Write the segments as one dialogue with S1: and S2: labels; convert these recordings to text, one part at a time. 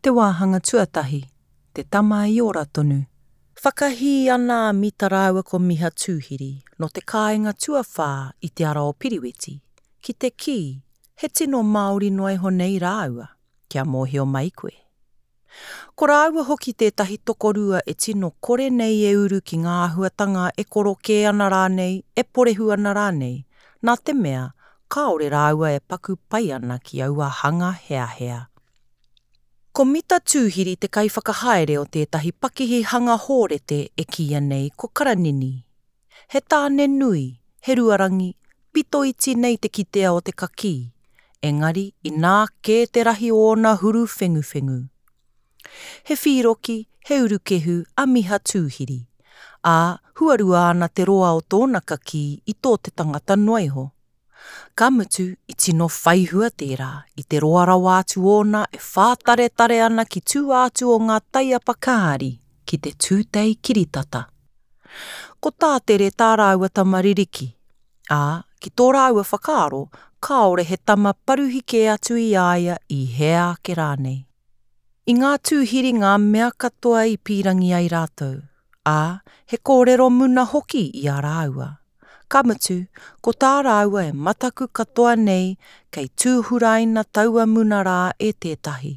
S1: Te wāhanga tuatahi, Te tama i ora tonu. Whakahī ana a Mita rāua ko Miha Tūhiri nō te kāinga tuawhā i Te Ara o Piriweti, ki te kī, he tino Māori noa iho nei rāua, kia mōhio mai koe. Ko rāua hoki tētahi tokorua e tino kore nei e uru ki ngā āhuatanga e korokē ana rānei, e porehu ana rānei, nā te mea, kāore rāua e paku pai ana ki aua hanga heahea. Ko Mita Tūhiri te kaiwhakahaere o tētahi pakihi hanga hōrete e kīia nei ko Karanini. He tāne nui, he ruarangi, pito iti nei te kitea o te kakī, engari inā kē te rahi o ōna huru whenguwhengu. He whīroki, he urukehu a Miha Tūhiri, ā, huarua ana te roa o tōna kakī i tō te tangata noa iho. Ka mutu, i tino whaihua tērā, i te roa rawa atu ōna e whātaretare ana ki tua atu o ngā taiapa kāri ki te tūtei kiritata. Ko Tātere tā rāua tama ririki, ā, ki tō rāua whakaaro, kāore he tama paruhi kē atu i a ia i hea ake rānei. I ngā tūhiri ngā mea katoa i pīrangi ai rātou, ā, he kōrero muna hoki i a rāua. Ka mutu, ko tā rāua e mataku katoa nei kei tūhuraina taua muna rā e tētahi.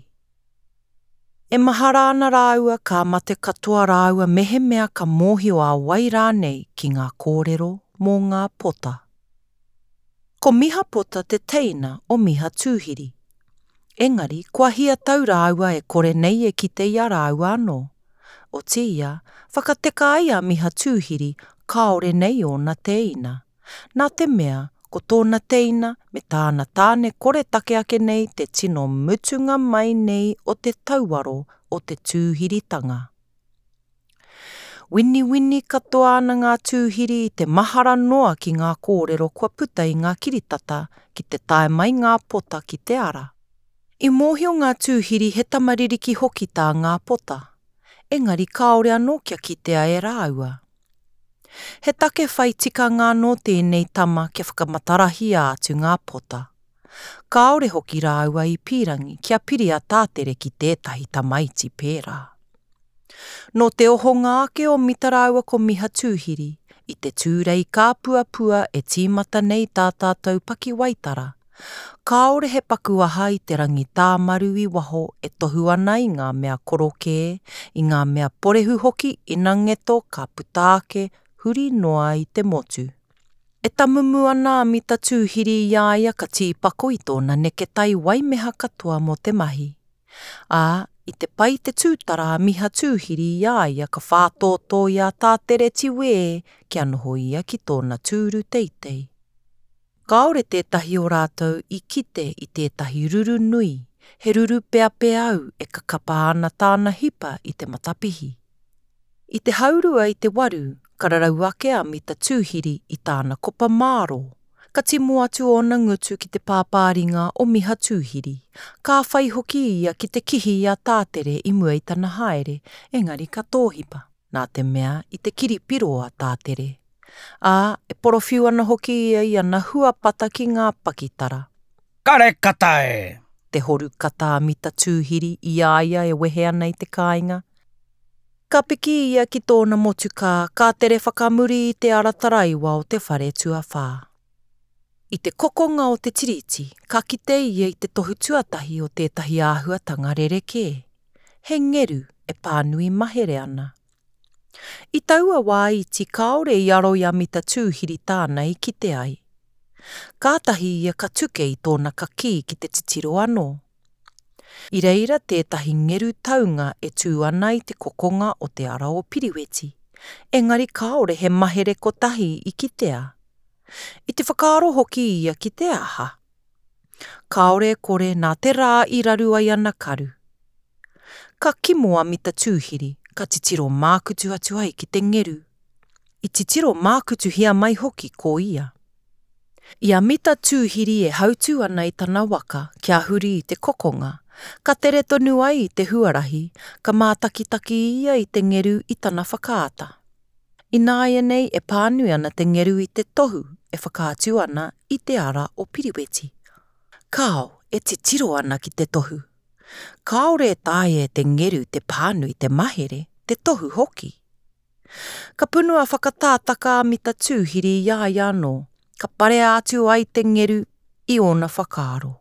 S1: E mahara ana rāua ka mate katoa rāua mehemea ka mōhio a wai rānei ki ngā kōrero mō ngā pota. Ko Miha Pota te teina o Miha Tūhiri. Engari, kua hia tau rāua e kore nei e kite i a rāua anō. Otiia, whakateka ai a Miha Tūhiri kāore nei ōna tēina. Nā te mea, ko tōna teina me tāna tāne koretake ake nei te tino mutunga mai nei o te tauaro o te tūhiritanga. Winiwini katoa ana ngā tūhiri i te mahara noa ki ngā kōrero kua puta i ngā kiritata ki te tae mai ngā pota ki te ara. I mōhio ngā tūhiri he tama ririki hoki tā ngā pota, engari kāore anō kia kitea e rāua. He take whai tikanga anō tēnei tama kia whakamatarahia atu ngā pota. Kāore hoki rāua i pīrangi kia piri a Tātere ki tētahi tamaiti pērā. Nō te ohonga ake o Mita rāua ko Miha Tūhiri, i te Tūrei kāpuapua e tīmata nei tā tātou pakiwaitara, kāore he paku aha i te rangi tāmaru i waho e tohu ana i ngā mea korokē, i ngā mea porehu hoki ina ngeto ka puta ake huri noa i te motu. E tamumu ana a Mita Tūhiri i a ia ka tīpako i tōna neketai waimeha katoa mō te mahi. Ā, i te pai te tūtara a Miha Tūhiri i a ia ka whātōtō i a Tātere Tiwē kia noho ia ki tōna tūru teitei. Kāore tētahi o rātou i kite i tētahi ruru nui, he ruru peapeau e kakapa ana tāna hipa i te matapihi. I te haurua i te waru, ka rarau ake a Mita Tūhiri i tāna kopa mārō. Ka timo atu ōna ngutu ki te pāpāringa o Miha Tūhiri. Ka whai hoki ia ki te kihi i a Tātere i mua i tana haere, engari ka tōhipa, nā te mea i te kiri piro a Tātere. Ā, e porowhiu ana hoki ia i ana huapata ki ngā pakitara.
S2: Kare kata e!
S1: Te horu kata a Mita Tūhiri i a ia e wehe ana i te kāinga. Ka piki ia ki tōna motukā, ka tere whakamuri i te ara taraiwa o te whare tuawhā. I te kokonga o te tiriti, ka kite ia i te tohu tuatahi o tētahi āhuatanga rerekē. He ngeru e pānui mahere ana. I taua wā iti kāore i aro i a Mita Tūhiri tāna i kite ai. Kātahi ia ka tuke i tōna kakī ki te titiro anō. I reira tētahi ngeru taunga e tū ana i te kokonga o te ara o Piriweti, engari kāore he mahere kotahi i kitea. I te whakaaro hoki ia ki te aha? Kāore e kore nā te rā i raru ai ana karu. Ka kimo a Mita Tūhiri, ka titiro mākutu atu ai ki te ngeru. I titiro mākutuhia mai hoki ko ia. I a Mita Tūhiri e hautū ana i tana waka kia huri i te kokonga, ka tere tonu ai i te huarahi, ka mātakitaki ia i te ngeru i tana whakaata. Ināianei e pānui ana te ngeru i te tohu e whakaatu ana i te ara o Piriweti. Kāo, e titiro ana ki te tohu. Kāore e taea e te ngeru te pānui te mahere, te tohu hoki. Ka punua whakatātaka a Mita Tūhiri i a ia anō, ka parea atu ai te ngeru i ōna whakaaro.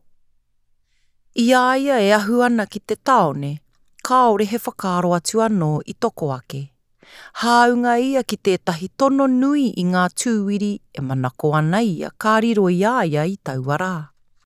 S1: I a ia e ahu ana ki te tāone, kāore he whakaaro atu anō i toko ake. Hāunga ia ki tētahi tono nui i ngā tūwiri e manako ana ia ka riro i a ia i taua rā.